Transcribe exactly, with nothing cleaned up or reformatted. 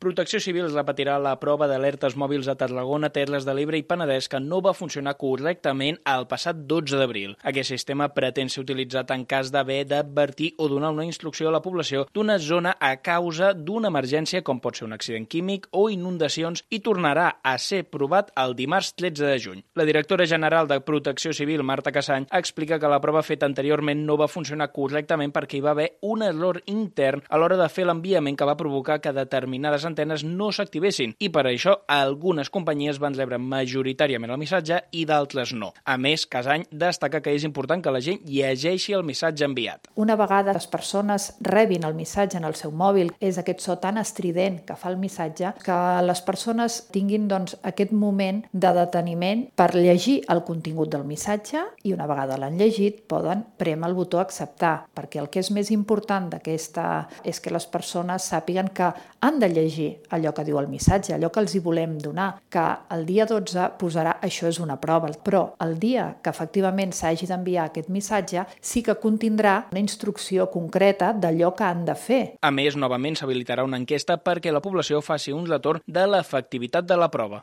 Protecció Civil repetirà la prova d'alertes mòbils a Tarragona, Terres de l'Ebre i Penedès que no va funcionar correctament el passat dotze d'abril. Aquest sistema pretén ser utilitzat en cas d'haver d'advertir o donar una instrucció a la població d'una zona a causa d'una emergència com pot ser un accident químic o inundacions i tornarà a ser provat el dimarts tretze de juny. La directora general de Protecció Civil, Marta Cassany, explica que la prova feta anteriorment no va funcionar correctament perquè hi va haver un error intern a l'hora de fer l'enviament que va provocar que determinades antenes no s'activessin i per això algunes companyies van rebre majoritàriament el missatge i d'altres no. A més, Cassany destaca que és important que la gent llegeixi el missatge enviat. Una vegada les persones rebin el missatge en el seu mòbil, és aquest so tan estrident que fa el missatge, que les persones tinguin doncs, aquest moment de deteniment per llegir el contingut del missatge i una vegada l'han llegit poden prémer el botó acceptar, perquè el que és més important d'aquesta és que les persones sàpiguen que han de llegir allò que diu el missatge, allò que els hi volem donar, que el dia dotze posarà això és una prova, però el dia que efectivament s'hagi d'enviar aquest missatge sí que contindrà una instrucció concreta d'allò que han de fer. A més, novament s'habilitarà una enquesta perquè la població faci un retorn de l'efectivitat de la prova.